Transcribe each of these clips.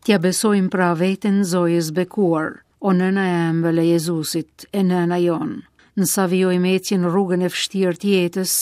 T'ia besojmë pra veten Zojës bekuar, o nëna e ëmbël e Jezusit, e nëna jonë. Në sa vijojmë ecjen rrugën e vështirë të jetës,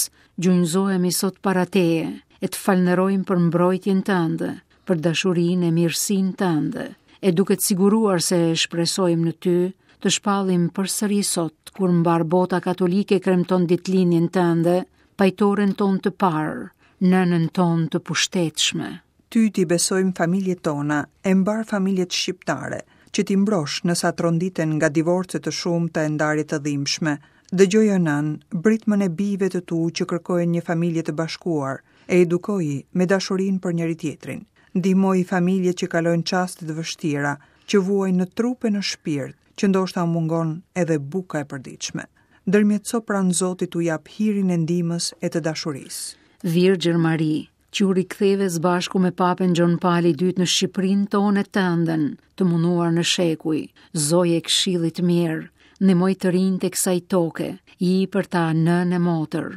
gjunjëzohemi sot para teje, e të falënderojmë për mbrojtjen tënde, për dashurinë e mirësinë tënde, e duke të siguruar se shpresojmë në ty, të shpallim përsëri sot, kur mbarë bota katolike kremton ditëlindjen tënde, pajtoren tonë të parë, nënën tonë të pushtetshme. Ty t'i besojmë familjet tona e mbarë familjet shqiptare, që t'i mbrosh në sa tronditen nga divorce të shumta e ndarje të dhimbshme. Dëgjoje o nënë, britmën e bijve të tu që kërkojnë një familje të bashkuar, e edukoji me dashurinë për njëri-tjetrin. Ndihmoji familjet që kalojnë çaste të vështira, që vuajnë në trup e në shpirt, që ndoshta u mungon edhe buka e përditshme. Ndërmjetëso pranë Zotit t'u japë hirin e ndihmës e të dashurisë. Virgjër Mari, që u riktheve së bashku me Papën Gjon Pali II në Shqipërinë tonë e tënden, të munduar në shekuj, Zojë e Këshillit të Mirë, ndihmoji të rinjtë e kësaj toke, ji për ta nënë e motër.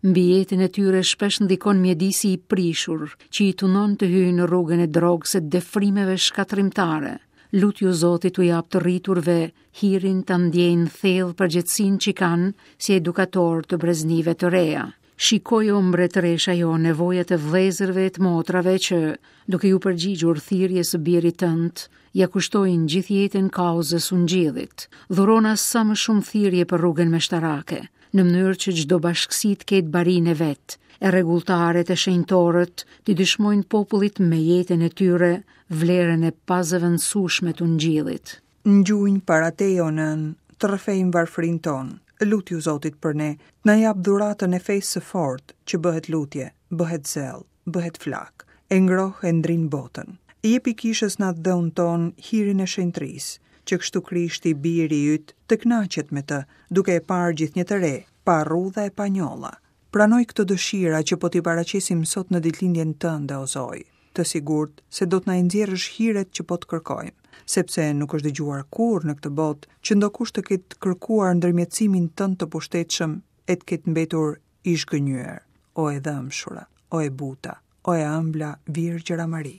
Mbi jetën e tyre shpesh ndikon mjedisi i prishur, që i tundon të hyjnë në rrugën e drogës e defrimeve shkatërrimtare. Lutju Zotit t'u japë të rriturve hirin ta ndjejnë thellë përgjegjësinë që kanë si edukatorë të breznive të reja. Shikoji o mbretëresha jonë nevojat e vëllezërve e të motrave që, duke iu përgjigjur thirrjes së birit tënd, ia kushtojnë gjithë jetën kauzës ungjillit. Dhurona sa më shumë thirrje për rrugën meshtarake, në mënyrë që çdo bashkësi të ketë barinë e vet, e rregulltarët e shenjtorët t'i dëshmojnë popullit me jetën e tyre vlerën e pazëvendësueshme të ungjillit. Në gjunjë para teje o nënë, të rrëfejmë varfërinë tonë, lutju Zotit për ne, të na japë dhuratën e fesë së fortë, që bëhet lutje, bëhet zell, bëhet flakë, e ngroh e ndrin botën. Jepi kishës në atdheun tonë hirin e shenjtërisë, që kështu Krishti, biri yt, të kënaqet me të, duke e parë gjithnjë të re, pa rrudha e pa njolla. Pranoji këto dëshira që po t'i paraqesim sot në ditëlindjen tënde, o Zojë, të sigurt se do të na i nxjerrësh hiret që po të kërkojmë, sepse nuk është dëgjuar kurrë në këtë botë që ndokush të ketë kërkuar ndërmjetësimin tënd të pushtetshëm e të ketë mbetur i zhgënjyer, o e dhëmshura, o e buta, o e ëmbla Virgjëra Mari.